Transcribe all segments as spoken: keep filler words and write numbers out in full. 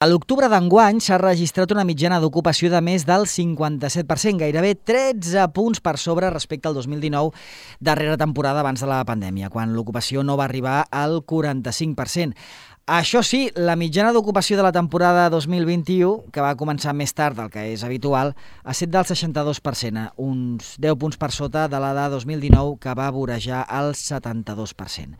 A l'octubre d'enguany s'ha registrat una mitjana d'ocupació de més del cinquanta-set per cent, gairebé tretze punts per sobre respecte al dos mil dinou, darrera temporada abans de la pandèmia, quan l'ocupació no va arribar al quaranta-cinc per cent. Això sí, la mitjana d'ocupació de la temporada dos mil vint-i-u, que va començar més tard del que és habitual, ha estat del seixanta-dos per cent, uns deu punts per sota de la de dos mil dinou, que va vorejar el setanta-dos per cent.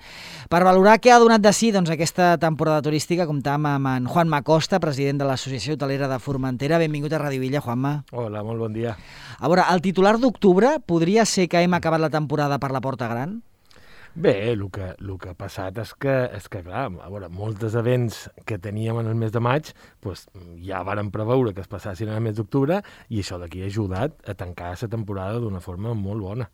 Per valorar què ha donat de si doncs, aquesta temporada turística, comptam amb en Juanma Costa, president de l'Associació Hotelera de Formentera. Benvingut a Ràdio Villa, Juanma. Hola, molt bon dia. A veure, el titular d'octubre podria ser que hem acabat la temporada per la porta gran? Bé, el que, el que ha passat és que, és que clar, a veure, molts events que teníem en el mes de maig pues, ja varen preveure que es passassin en el mes d'octubre i això d'aquí ha ajudat a tancar la temporada d'una forma molt bona.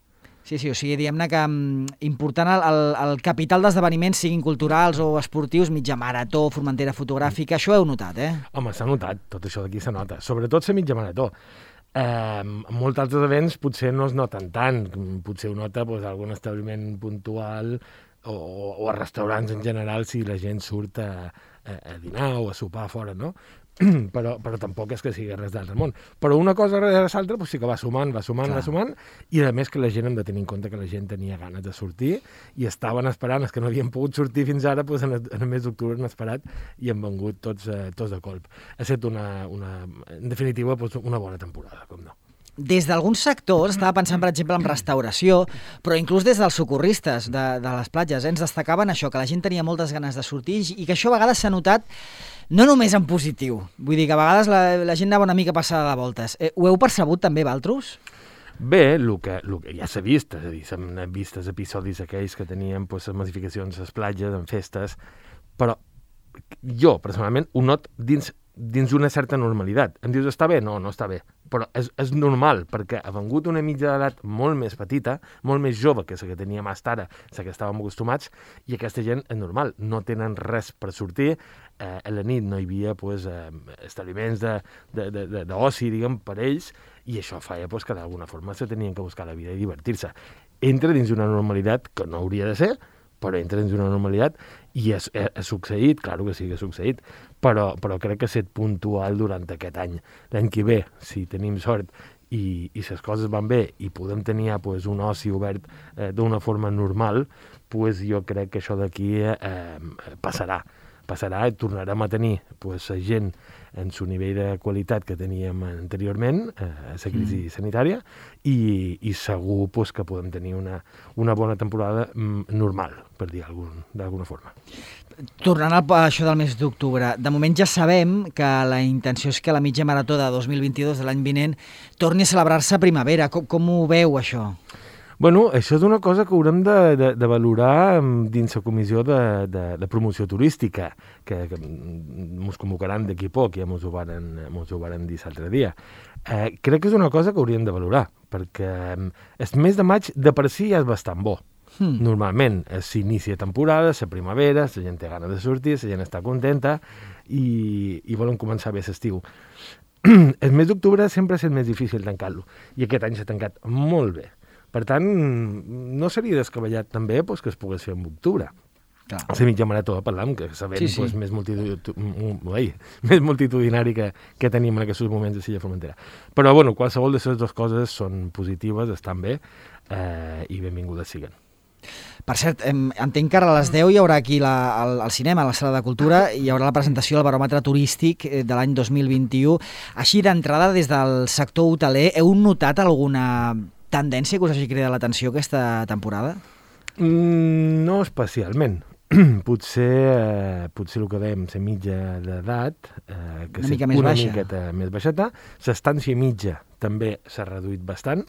Sí, sí, o sigui, diguem-ne que um, important el, el, el capital d'esdeveniments, siguin culturals o esportius, mitja marató, Formentera fotogràfica, això ho heu notat, eh? Home, s'ha notat, tot això d'aquí s'ha nota, sobretot la mitja marató. Eh, en molts altres events potser no es noten tant, potser ho nota pues, algun establiment puntual o, o a restaurants en general si la gent surt a, a, a dinar o a sopar fora, no? però, però tampoc és que sigui res d'altre món. Però una cosa darrere l'altra pues, sí que va sumant, va sumant, Clar. va sumant, i a més que la gent hem de tenir en compte que la gent tenia ganes de sortir i estaven esperant, els que no havien pogut sortir fins ara, pues, en, el, en el mes d'octubre han esperat i han vengut tots, eh, tots de colp. Ha estat una, una, en definitiva pues, una bona temporada, com no. Des d'alguns sectors, estava pensant, per exemple, en restauració, però inclús des dels socorristes de, de les platges, eh, ens destacaven això, que la gent tenia moltes ganes de sortir i que això a vegades s'ha notat no només en positiu. Vull dir que a vegades la, la gent anava una mica passada de voltes. Eh, ho heu percebut també, Valtros? Bé, el que, el que ja s'ha vist, és a dir, s'han vist els episodis aquells que teníem pues, les massificacions a les platges, en festes, però jo, personalment, ho not dins dins una certa normalitat. Em dius, està bé? No, no està bé. Però és, és normal, perquè ha vengut una mitja d'edat molt més petita, molt més jove que la que teníem fins ara, la que estàvem acostumats, i aquesta gent és normal, no tenen res per sortir. Eh, a la nit no hi havia pues, eh, establiments d'oci, diguem, per ells, i això feia pues, que d'alguna forma se tenien que buscar la vida i divertir-se. Entra dins una normalitat que no hauria de ser, però entra dins una normalitat i ha, ha succeït, clar que sí que ha succeït, però, però crec que ha estat puntual durant aquest any. L'any que ve, si tenim sort i, i les coses van bé i podem tenir pues, un oci obert eh, d'una forma normal, pues, jo crec que això d'aquí eh, passarà. passarà i tornarem a tenir pues, la gent en su nivell de qualitat que teníem anteriorment, eh, a la crisi mm. sanitària, i, i segur pues, que podem tenir una, una bona temporada mm, normal, per dir d'alguna forma. Tornant a això del mes d'octubre, de moment ja sabem que la intenció és que la mitja marató de dos mil vint-i-dos, de l'any vinent, torni a celebrar-se a primavera. Com, com ho veu, això? Bueno, això és una cosa que haurem de, de, de valorar dins la comissió de, de, de promoció turística, que, que ens convocaran d'aquí poc, ja ens ho varen, ho varen dir l'altre dia. Eh, crec que és una cosa que hauríem de valorar, perquè el mes de maig de per si ja és bastant bo. Hmm. Normalment s'inicia temporada, la primavera, la gent té ganes de sortir, la gent està contenta i, i volen començar bé l'estiu. El mes d'octubre sempre és el més difícil tancar-lo, i aquest any s'ha tancat molt bé. Per tant, no seria descabellat també pues, que es pogués fer en octubre. Clar. La mitja marató, parlam, que sabem sí, sí. Pues, més, multitud... Ui, més multitudinari que, que tenim en aquests moments de Silla Formentera. Però, bueno, qualsevol de les dues coses són positives, estan bé, eh, i benvingudes siguen. Per cert, entenc que ara a les deu hi haurà aquí la, al, al cinema, a la Sala de Cultura, hi haurà la presentació del baròmetre turístic de l'any dos mil vint-i-u. Així, d'entrada, des del sector hoteler, heu notat alguna tendència que us hagi cridat l'atenció aquesta temporada? Mm, no especialment. potser, eh, potser el que dèiem, la mitja d'edat, eh, que una mica més una baixa. miqueta més baixeta, l'estància mitja també s'ha reduït bastant,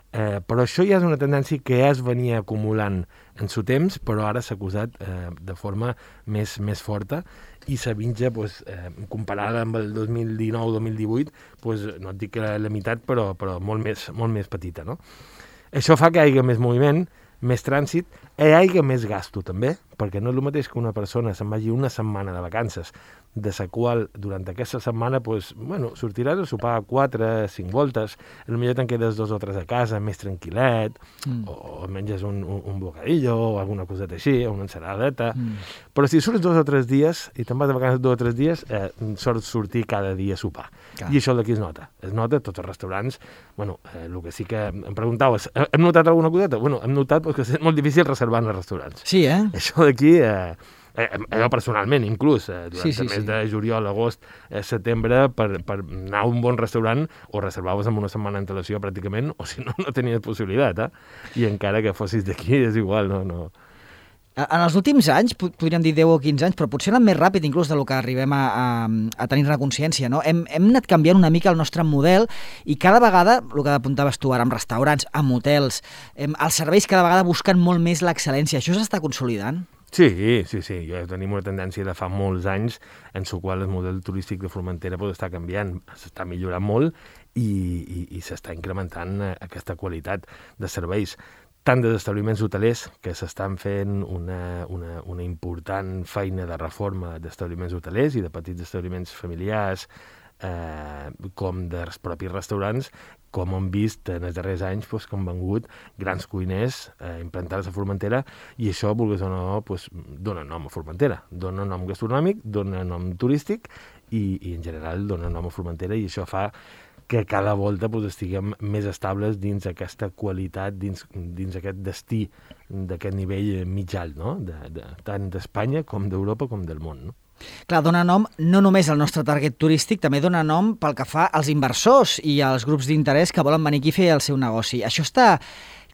eh, però això ja és una tendència que ja es venia acumulant en su temps, però ara s'ha acusat eh, de forma més, més forta, i la mitja, pues, eh, comparada amb el dos mil dinou dos mil divuit, pues, no et dic que la meitat, però, però molt, més, molt més petita, no? Això fa que hi hagi més moviment, més trànsit, hi hagi més gasto també, perquè no és el mateix que una persona se'n vagi una setmana de vacances de la qual durant aquesta setmana pues, bueno, sortiràs a sopar quatre, cinc voltes, potser te'n quedes dos o tres a casa, més tranquil·let, mm. o menges un, un, un bocadillo o alguna coseta així, una ensaladeta, mm. però si surts dos o tres dies i te'n vas de vacances dos o tres dies, eh, sort sortir cada dia a sopar. Clar. I això d'aquí es nota. Es nota a tots els restaurants. Bueno, eh, el que sí que em preguntaves, hem notat alguna coseta? Bueno, hem notat pues, que és molt difícil reservar en els restaurants. Sí, eh? Això d'aquí... Eh, Eh, jo personalment, inclús, eh, durant sí, sí, el mes sí. de juliol, agost, eh, setembre, per, per anar a un bon restaurant, o reservaves amb una setmana d'antelació pràcticament, o si no, no tenies possibilitat, eh? I encara que fossis d'aquí, és igual, no... no. En els últims anys, podríem dir deu o quinze anys, però potser anat més ràpid inclús del que arribem a, a, a tenir-ne consciència, no? Hem, hem anat canviant una mica el nostre model i cada vegada, el que apuntaves tu ara, amb restaurants, amb hotels, hem, els serveis cada vegada busquen molt més l'excel·lència. Això s'està consolidant? Sí, sí, sí. Ja tenim una tendència de fa molts anys en la qual el model turístic de Formentera pot estar canviant, s'està millorant molt i, i, i s'està incrementant aquesta qualitat de serveis. Tant dels establiments hotelers, que s'estan fent una, una, una important feina de reforma d'establiments hotelers i de petits establiments familiars, eh, com dels propis restaurants, com hem vist en els darrers anys, doncs, que han vengut grans cuiners eh, implantats a Formentera, i això, vulguis o no, doncs, dona nom a Formentera, dona nom gastronòmic, dona nom turístic, i, i en general dona nom a Formentera, i això fa que cada volta doncs, estiguem més estables dins aquesta qualitat, dins, dins aquest destí d'aquest nivell mitjà, no? de, de, tant d'Espanya com d'Europa com del món, no? Clar, dona nom no només al nostre target turístic, també dona nom pel que fa als inversors i als grups d'interès que volen venir aquí a fer el seu negoci. Això està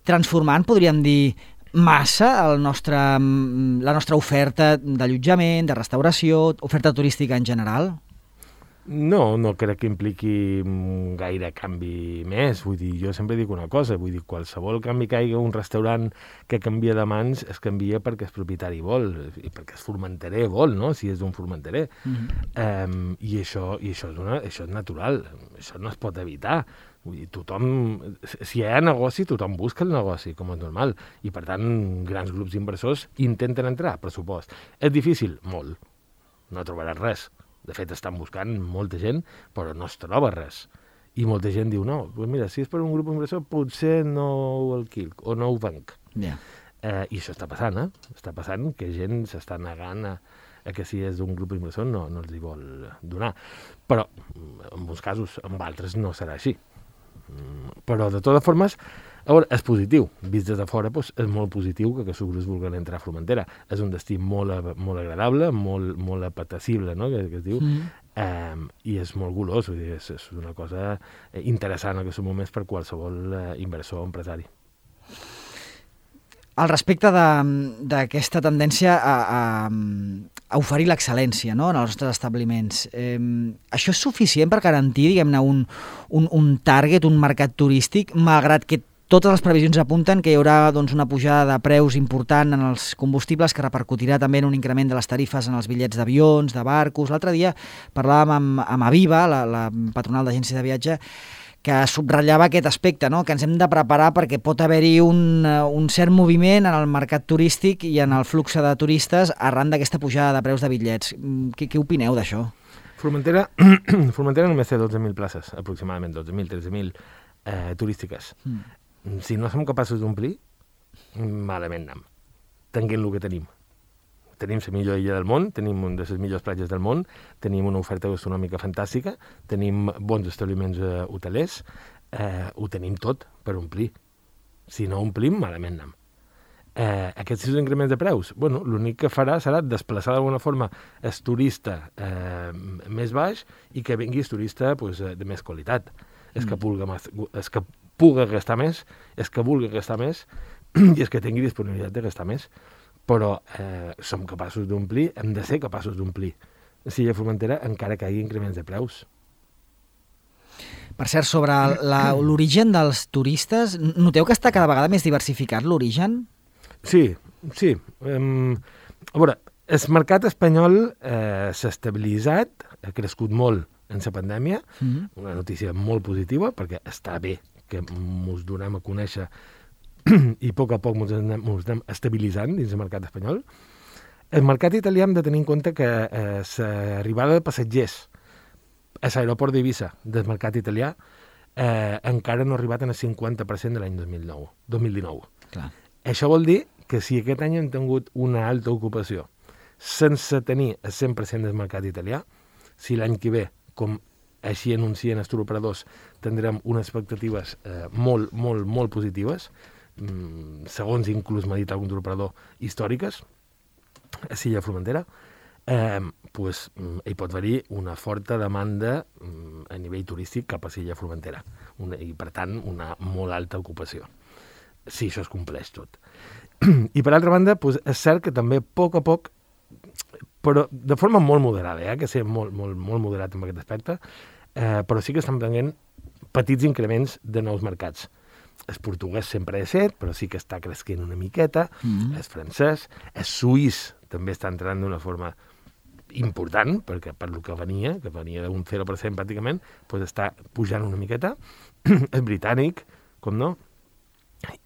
transformant, podríem dir, massa el nostre, la nostra oferta d'allotjament, de restauració, oferta turística en general? No, no crec que impliqui gaire canvi més. Vull dir, jo sempre dic una cosa, vull dir, qualsevol canvi que hi hagi un restaurant que canvia de mans es canvia perquè el propietari vol, i perquè el formenterer vol, no?, si és d'un formenterer. Mm-hmm. um, I això, i això, és una, això és natural, això no es pot evitar. Vull dir, tothom, si hi ha negoci, tothom busca el negoci, com és normal, i per tant, grans grups d'inversors intenten entrar, pressupost. És difícil? Molt. No trobaràs res. De fet, estan buscant molta gent, però no es troba res. I molta gent diu, no, doncs mira, si és per un grup d'inversor, potser no ho alquilc o no ho venc. Yeah. Eh, I això està passant, eh? Està passant que gent s'està negant a, a que si és d'un grup d'inversor no, no els hi vol donar. Però, en molts casos, en altres no serà així. Però, de totes formes, a veure, és positiu. Vist des de fora, doncs, és molt positiu que aquests grups vulguin entrar a Formentera. És un destí molt, molt agradable, molt, molt apetecible, no?, que, que es diu, mm. eh, i és molt golós. Vull dir, és, és una cosa interessant en aquests moments per qualsevol eh, inversor o empresari. Al respecte d'aquesta tendència a, a, a oferir l'excel·lència, no?, en els nostres establiments, eh, això és suficient per garantir, diguem-ne, un, un, un target, un mercat turístic, malgrat que totes les previsions apunten que hi haurà doncs, una pujada de preus important en els combustibles que repercutirà també en un increment de les tarifes en els bitllets d'avions, de barcos. L'altre dia parlàvem amb, amb Aviva, la, la patronal d'agència de viatge, que subratllava aquest aspecte, no?, que ens hem de preparar perquè pot haver-hi un, un cert moviment en el mercat turístic i en el flux de turistes arran d'aquesta pujada de preus de bitllets. Què, què opineu d'això? Formentera, Formentera només té dotze mil places, aproximadament dotze mil, tretze mil eh, turístiques. Mm. Si no som capaços d'omplir, malament anem. Tenint el que tenim. Tenim la millor illa del món, tenim una de les millors platges del món, tenim una oferta gastronòmica fantàstica, tenim bons establiments eh, hotelers, eh, ho tenim tot per omplir. Si no omplim, malament anem. Eh, aquests increments de preus, bueno, l'únic que farà serà desplaçar d'alguna forma el turista eh, més baix i que vingui el turista pues, de més qualitat. És que pulga, és que puga gastar més, és que vulgui gastar més i és que tingui disponibilitat de gastar més. Però eh, som capaços d'omplir, hem de ser capaços d'omplir. Si hi ha Formentera, encara que hi hagi increments de preus. Per cert, sobre l'origen dels turistes, noteu que està cada vegada més diversificat l'origen? Sí, sí. Um, a veure, el mercat espanyol eh, s'ha estabilitzat, ha crescut molt en la pandèmia, mm-hmm. una notícia molt positiva, perquè està bé que ens donem a conèixer i a poc a poc ens anem, ens anem estabilitzant dins el mercat espanyol. El mercat italià hem de tenir en compte que eh, l'arribada de passatgers a l'aeroport d'Eivissa del mercat italià eh, encara no ha arribat en el cinquanta per cent de l'any dos mil nou, dos mil dinou. Clar. Això vol dir que si aquest any hem tingut una alta ocupació sense tenir el cent per cent del mercat italià, si l'any que ve, com així anuncien els turoperadors, tindrem unes expectatives eh, molt, molt, molt positives, mm, segons inclús m'ha dit algun turoperador, històriques, a Silla Formentera, eh, pues, hi pot haver una forta demanda mm, a nivell turístic cap a Silla Formentera, una, i per tant una molt alta ocupació, si això es compleix tot. I per altra banda, pues, és cert que també a poc a poc, però de forma molt moderada, eh, que ser molt, molt, molt moderat en aquest aspecte, eh, però sí que estan prenent petits increments de nous mercats. El portuguès sempre és set, però sí que està cresquent una miqueta, mm-hmm. el francès, el suís també està entrant d'una forma important, perquè per lo que venia, que venia d'un zero per cent pràcticament, pues està pujant una miqueta, el britànic, com no,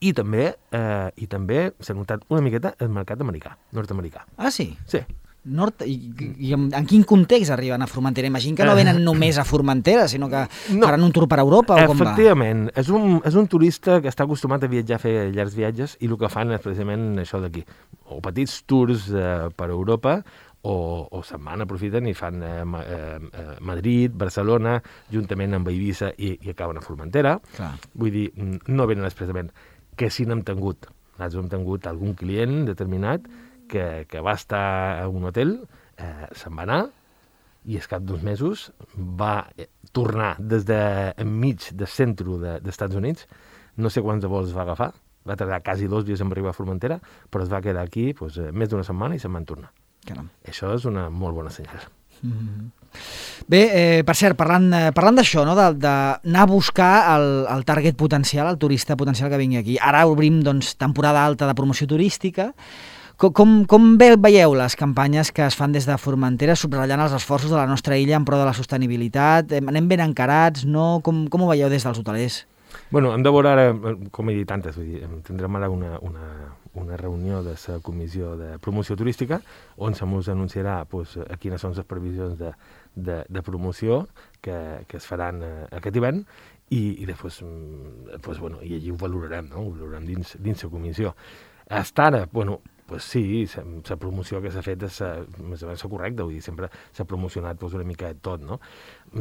i també eh, i també s'ha notat una miqueta el mercat americà, nord-americà. Ah, sí? Sí. Nord... I, i en, en quin context arriben a Formentera? Imagino que no venen només a Formentera, sinó que no. faran un tour per Europa, o com va? Efectivament, és un, és un turista que està acostumat a viatjar, a fer llargs viatges, i el que fan és precisament això d'aquí, o petits tours eh, per Europa, o, o se'n van, aprofiten i fan eh, eh, Madrid, Barcelona, juntament amb Eivissa, i, i acaben a Formentera. Clar. Vull dir, no venen expressament, que sí n'hem tingut. Nosaltres hem tingut algun client determinat que, que va estar a un hotel, eh, se'n va anar, i al cap d'uns mesos va tornar des de enmig del centre de, dels Estats Units, no sé quants vols va agafar, va tardar quasi dos dies en arribar a Formentera, però es va quedar aquí pues, més d'una setmana i se'n van tornar. Caram. Això és una molt bona senyal. Mm-hmm. Bé, eh, per cert, parlant, eh, parlant d'això, no? d'anar a buscar el, el target potencial, el turista potencial que vingui aquí. Ara obrim doncs, temporada alta de promoció turística. Com, com, com veieu les campanyes que es fan des de Formentera subratllant els esforços de la nostra illa en pro de la sostenibilitat? Anem ben encarats, no? Com, com ho veieu des dels hotelers? Bueno, hem de veure ara, com he dit antes, vull dir, tindrem ara una, una, una reunió de la Comissió de Promoció Turística on se mos anunciarà pues, quines són les previsions de, de, de promoció que, que es faran eh, aquest hivern i, i després, pues, bueno, i allí ho valorarem, no? Ho valorarem dins, dins la comissió. Hasta ara, bueno, pues sí, la promoció que s'ha fet és més o menys correcta, vull dir, sempre s'ha promocionat pues, una mica de tot, no?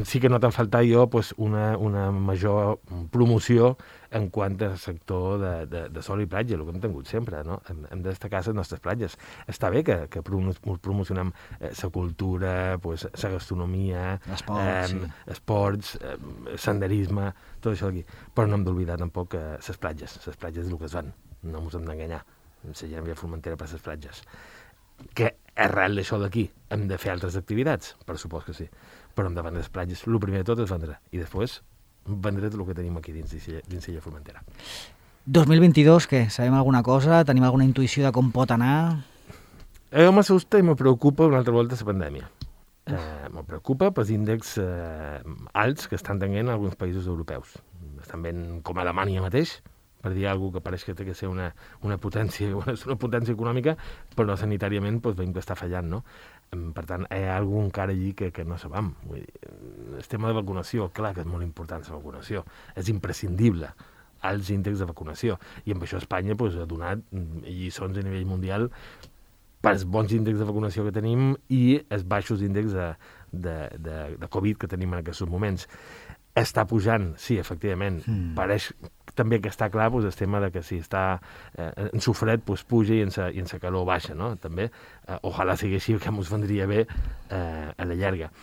Sí que no t'ha faltat jo pues, una, una major promoció en quant al sector de, de, de sol i platja, el que hem tingut sempre, no? Hem, hem de destacar les nostres platges. Està bé que, que promocionem la eh, cultura, pues, la gastronomia, esports, eh, sí. esports eh, senderisme, tot això d'aquí. Però no hem d'oblidar tampoc eh, les platges, les platges és el que es van, no ens hem d'enganyar. La gent havia Formentera per les platges. Que arrel d'això d'aquí hem de fer altres activitats? Per supost que sí. Però hem de vendre les platges. El primer de tot és vendre. I després vendre tot el que tenim aquí dins d'Illa Formentera. dos mil vint-i-dos, què? Sabem alguna cosa? Tenim alguna intuïció de com pot anar? Eh, m'assusta i me preocupa una altra volta la pandèmia. Eh, me preocupa pels índexs eh, alts que estan tenint alguns països europeus. Estan ben com Alemanya mateix, per dir alguna cosa que pareix que té que ser una, una potència una potència econòmica, però sanitàriament doncs, veiem que està fallant, no? Per tant, hi ha alguna encara allí que, que no sabem. Vull dir, el tema de vacunació, clar que és molt important la vacunació, és imprescindible als índexs de vacunació, i amb això Espanya doncs, ha donat lliçons a nivell mundial pels bons índexs de vacunació que tenim i els baixos índexs de, de, de, de Covid que tenim en aquests moments. Està pujant, sí, efectivament. Mm. Pareix també que està clar doncs, el tema de que si està eh, en sofret doncs, puja i en sa, i en sa calor baixa, no? També, eh, ojalà sigui així, que ens vendria bé eh, a la llarga.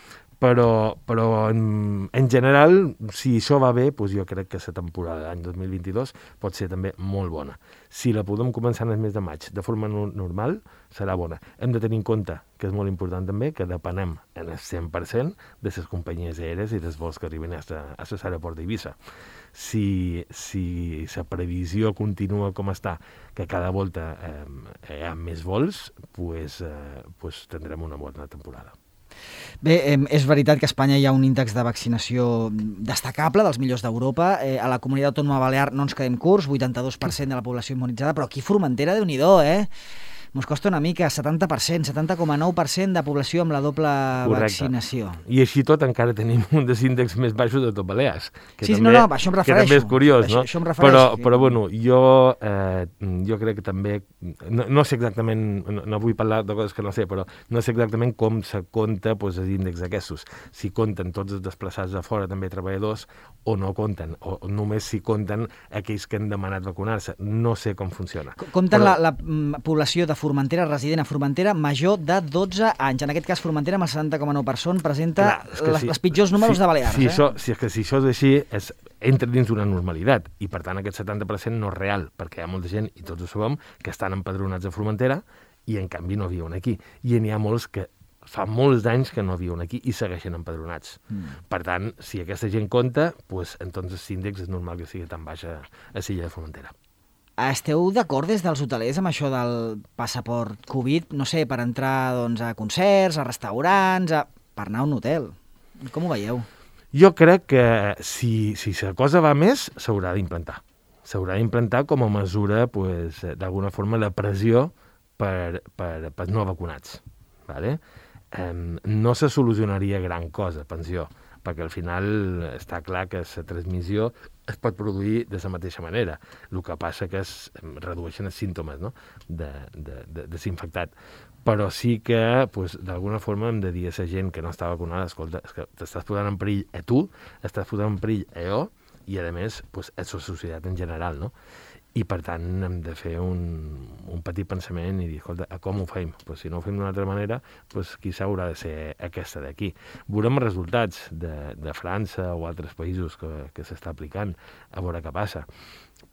Però, però en, en general, si això va bé, doncs jo crec que la temporada d'any dos mil vint-i-dos pot ser també molt bona. Si la podem començar en el mes de maig de forma no, normal, serà bona. Hem de tenir en compte, que és molt important també, que depenem en el cent per cent de les companyies aèries i dels vols que arriben a l'aeroport d'Eivissa. Si, si la previsió continua com està, que cada volta eh, hi ha més vols, pues, eh, pues tindrem una bona temporada. Bé, eh, és veritat que a Espanya hi ha un índex de vaccinació destacable, dels millors d'Europa. Eh, a la comunitat autònoma balear no ens quedem curts, vuitanta-dos per cent de la població immunitzada, però aquí a Formentera, Déu-n'hi-do, eh? Mos costa una mica, setanta per cent, setanta coma nou per cent de població amb la doble Correcte. vaccinació. I així tot encara tenim un dels índexs més baixos de tot Balears. Que sí, també, no, no, això em refereixo. Que també és curiós, això, no? Això em refereixo. Però, però bueno, jo, eh, jo crec que també, no, no sé exactament, no, no vull parlar de coses que no sé, però no sé exactament com se compta pues, els índexs aquests. Si compten tots els desplaçats de fora, també treballadors, o no compten, o només si compten aquells que han demanat vacunar-se. No sé com funciona. Compten però... la, la població de Formentera, resident a Formentera, major de dotze anys. En aquest cas, Formentera, amb el setanta coma nou per cent, presenta Clar, les, si, els pitjors números si, de Balears. Si, eh? això, si, és que si això és així, és, entra dins d'una normalitat, i per tant aquest setanta per cent no és real, perquè hi ha molta gent, i tots ho sabem, que estan empadronats a Formentera, i en canvi no viuen aquí. I n'hi ha molts que fa molts anys que no viuen aquí i segueixen empadronats. Mm. Per tant, si aquesta gent compta, pues, entonces l'índex és normal que sigui tan baixa a l'illa de Formentera. Esteu d'acord des dels hotelers amb això del passaport Covid, no sé, per entrar doncs, a concerts, a restaurants, a... per anar a un hotel? Com ho veieu? Jo crec que si, si la cosa va més, s'haurà d'implantar. S'haurà d'implantar com a mesura, pues, d'alguna forma, la pressió per, per, per no vacunats. Vale? Eh, no se solucionaria gran cosa, pensió, perquè al final està clar que la transmissió es pot produir de la mateixa manera. El que passa que es redueixen els símptomes, no? de, de, de, de ser infectat. Però sí que, pues, d'alguna forma, hem de dir a la gent que no està vacunada, escolta, és que t'estàs posant en perill a tu, estàs posant en perill a jo, i a més, pues, a la societat en general, no? I, per tant, hem de fer un, un petit pensament i dir, escolta, com ho fem? Pues, si no ho fem d'una altra manera, pues, quizà haurà de ser aquesta d'aquí. Veurem els resultats de, de França o altres països que, que s'està aplicant, a veure què passa.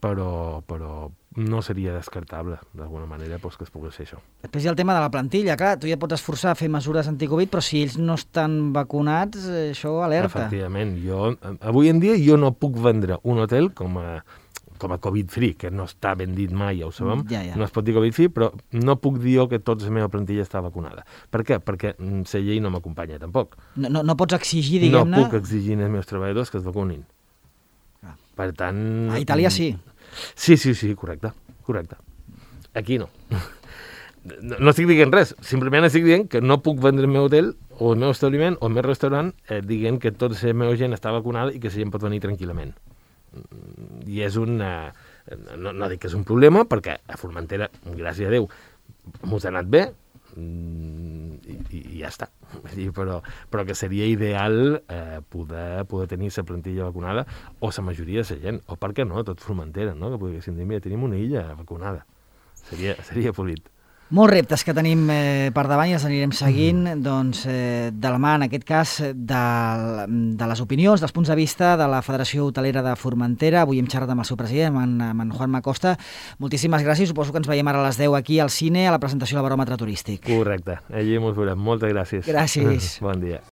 Però, però no seria descartable, d'alguna manera, pues, que es pogués fer això. Després hi ha el tema de la plantilla. Clar, tu ja pots esforçar a fer mesures anticovid, però si ells no estan vacunats, això alerta. Efectivament. Jo, avui en dia jo no puc vendre un hotel com a com a Covid-free, que no està ben dit mai, ja ho sabem, ja, ja. no es pot dir Covid-free, però no puc dir jo que tota la meva plantilla està vacunada. Per què? Perquè la llei no m'acompanya, tampoc. No, no, no pots exigir, diguem-ne... No puc exigir als meus treballadors que es vacunin. Ah. Per tant... A Itàlia sí. Sí, sí, sí, correcte, correcte. Aquí no. No, no estic dient res, simplement estic dient que no puc vendre el meu hotel o el meu establiment o el meu restaurant eh, dient que tota la meva gent està vacunada i que la gent pot venir tranquil·lament. I és un... No, no dic que és un problema, perquè a Formentera, gràcies a Déu, m'ho ha anat bé i, i, i ja està. Però, però que seria ideal eh, poder, poder tenir la plantilla vacunada o la majoria de la gent, o per què no, tot Formentera, no? Que poguéssim dir, mira, tenim una illa vacunada. Seria, seria polit. Molts reptes que tenim eh, per davant i els anirem seguint mm. doncs, eh, de la mà, en aquest cas, de, de les opinions, dels punts de vista de la Federació Hotelera de Formentera. Avui hem xerrat amb el seu president, amb en, amb en Juan Macosta. Moltíssimes gràcies. Suposo que ens veiem ara a les deu aquí al cine, a la presentació del baròmetre turístic. Correcte. Allí ens veurem. Moltes gràcies. Gràcies. Bon dia.